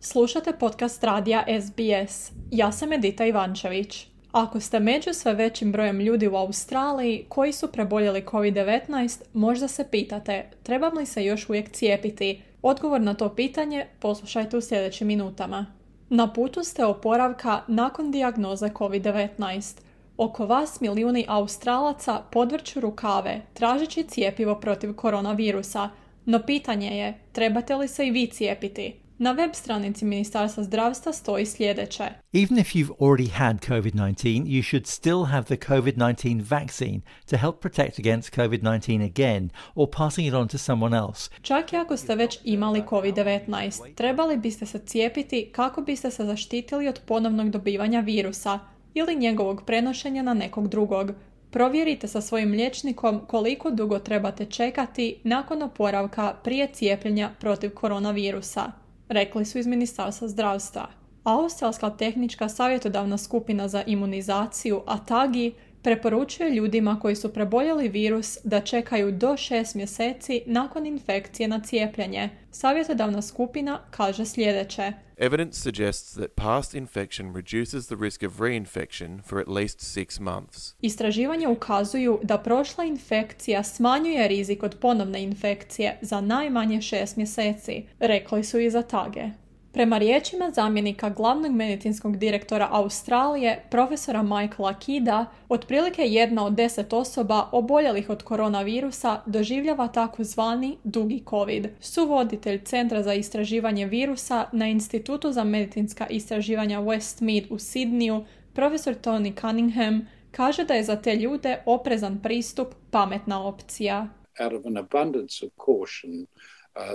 Slušate podcast radija SBS. Ja sam Edita Ivančević. Ako ste među sve većim brojem ljudi u Australiji koji su preboljeli COVID-19, možda se pitate, trebam li se još uvijek cijepiti? Odgovor na to pitanje poslušajte u sljedećim minutama. Na putu ste oporavka nakon dijagnoze COVID-19. Oko vas milijuni Australaca podvrću rukave tražeći cjepivo protiv koronavirusa, no pitanje je, trebate li se i vi cijepiti? Na web stranici Ministarstva zdravstva stoji sljedeće. Even if you've already had COVID-19, you should still have the COVID-19 vaccine to help protect against COVID-19 again or passing it on to someone else. Čak i ako ste već imali COVID-19, trebali biste se cijepiti kako biste se zaštitili od ponovnog dobivanja virusa ili njegovog prenošenja na nekog drugog. Provjerite sa svojim liječnikom koliko dugo trebate čekati nakon oporavka prije cijepljenja protiv koronavirusa, rekli su iz Ministarstva zdravstva. Australska tehnička savjetodavna skupina za imunizaciju ATAGI preporučuje ljudima koji su preboljeli virus da čekaju do 6 mjeseci nakon infekcije na cijepljenje. Savjetodavna skupina kaže sljedeće. Evidence suggests that past infection reduces the risk of reinfection for at least 6 months. Istraživanja ukazuju da prošla infekcija smanjuje rizik od ponovne infekcije za najmanje 6 mjeseci, rekli su iz ATAGE. Prema riječima zamjenika glavnog medicinskog direktora Australije, profesora Michaela Kida, otprilike 1 od 10 osoba oboljelih od koronavirusa doživljava takozvani dugi COVID. Suvoditelj Centra za istraživanje virusa na Institutu za medicinska istraživanja Westmead u Sidneyu, profesor Tony Cunningham, kaže da je za te ljude oprezan pristup pametna opcija. Out of an abundance of caution,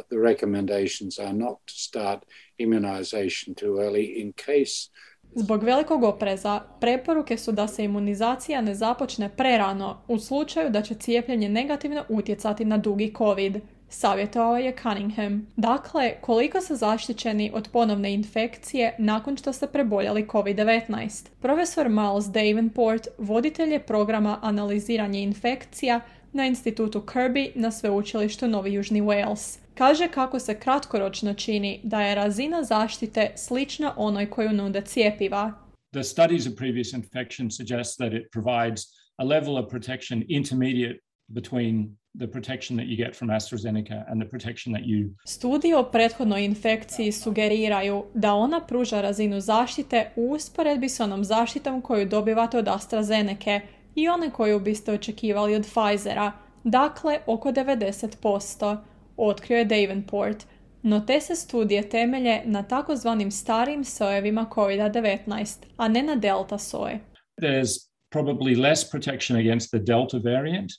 the recommendations are not to start immunization too early in case. Zbog velikog opreza, preporuke su da se imunizacija ne započne prerano u slučaju da će cijepljenje negativno utjecati na dugi COVID, savjetovao je Cunningham. Dakle, koliko su zaštićeni od ponovne infekcije nakon što ste preboljeli COVID-19? Profesor Miles Davenport, voditelj je programa analiziranje infekcija na institutu Kirby na sveučilištu Novi Južni Wales. Kaže kako se kratkoročno čini da je razina zaštite slična onoj koju nude cjepiva. The studies of previous infection suggest that it provides a level of protection intermediate between the protection that you get from AstraZeneca and the protection that you... Studije o prethodnoj infekciji sugeriraju da ona pruža razinu zaštite u usporedbi s onom zaštitom koju dobivate od AstraZeneke i one koju biste očekivali od Pfizera, dakle oko 90%, otkrio je Davenport. No te se studije temelje na takozvanim starijim sojevima COVID-19, a ne na delta soje. There's probably less protection against the delta variant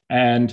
and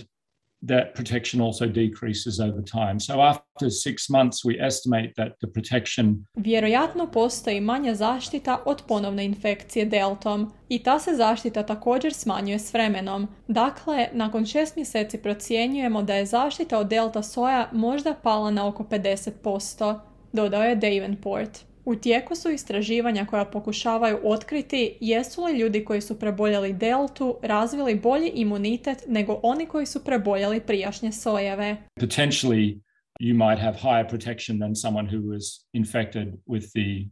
that protection also decreases over time. So after 6 months we estimate that the protection... Vjerojatno postoji manja zaštita od ponovne infekcije deltom i ta se zaštita također smanjuje s vremenom. Dakle, nakon 6 mjeseci procjenjujemo da je zaštita od delta soja možda pala na oko 50%, dodao je Davenport. U tijeku su istraživanja koja pokušavaju otkriti jesu li ljudi koji su preboljeli deltu razvili bolji imunitet nego oni koji su preboljeli prijašnje sojeve. Potentially you might have higher protection than someone who was infected with the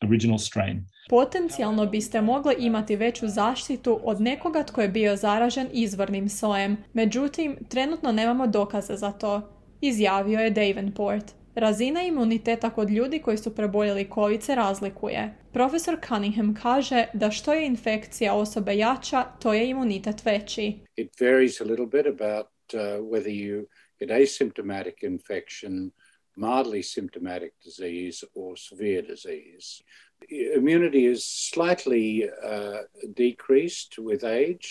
original strain. Potencijalno biste mogli imati veću zaštitu od nekoga tko je bio zaražen izvornim sojem. Međutim, trenutno nemamo dokaza za to, izjavio je Davenport. Razina imuniteta kod ljudi koji su preboljeli COVID se razlikuje. Profesor Cunningham kaže da što je infekcija osobe jača, to je imunitet veći. It varies a little bit about whether you get asymptomatic infection, mildly symptomatic disease or severe disease. Immunity is slightly decreased with age.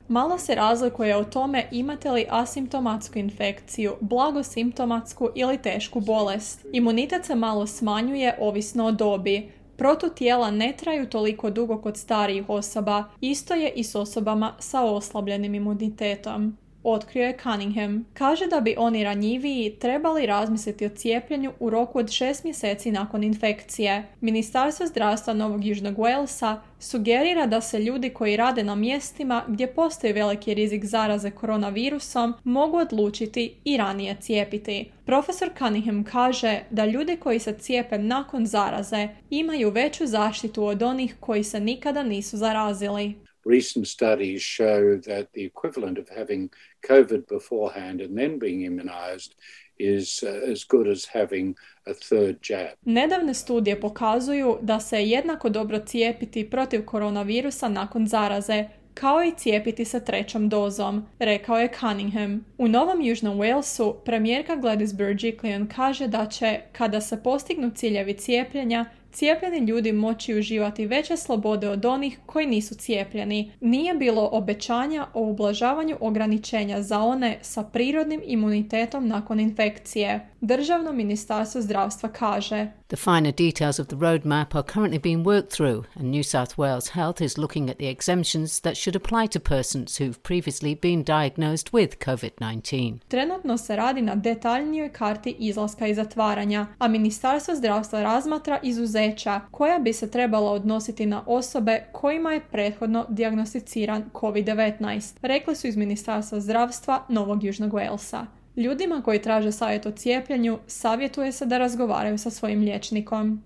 Malo se razlikuje o tome imate li asimptomatsku infekciju, blagosimptomatsku ili tešku bolest. Imunitet se malo smanjuje ovisno o dobi. Protutijela ne traju toliko dugo kod starijih osoba, isto je i s osobama sa oslabljenim imunitetom. otkrio je Cunningham. Kaže da bi oni ranjiviji trebali razmisliti o cijepljenju u roku od 6 mjeseci nakon infekcije. Ministarstvo zdravstva Novog Južnog Walesa sugerira da se ljudi koji rade na mjestima gdje postoji veliki rizik zaraze koronavirusom mogu odlučiti i ranije cijepiti. Profesor Cunningham kaže da ljudi koji se cijepe nakon zaraze imaju veću zaštitu od onih koji se nikada nisu zarazili. Recent studies show that the equivalent of having COVID beforehand and then being immunized is as good as having a third jab. Nedavne studije pokazuju da se jednako dobro cijepiti protiv koronavirusa nakon zaraze, kao i cijepiti se 3. dozom, rekao je Cunningham. U Novom Južnom Walesu premijerka Gladys Berejiklian kaže da će, kada se postignu ciljevi cijepljenja, cijepljeni ljudi moći uživati veće slobode od onih koji nisu cijepljeni. Nije bilo obećanja o ublažavanju ograničenja za one sa prirodnim imunitetom nakon infekcije. Državno ministarstvo zdravstva kaže: The finer details of the roadmap are currently being worked through, and New South Wales Health is looking at the exemptions that should apply to persons who've previously been diagnosed with COVID-19. Trenutno se radi na detaljnijoj karti izlaska i zatvaranja, a ministarstvo zdravstva razmatra izuzeća koja bi se trebala odnositi na osobe kojima je prethodno dijagnosticiran COVID-19, rekli su iz ministarstva zdravstva Novog Južnog Walesa. Ljudima koji traže savjet o cijepljenju savjetuje se da razgovaraju sa svojim liječnikom.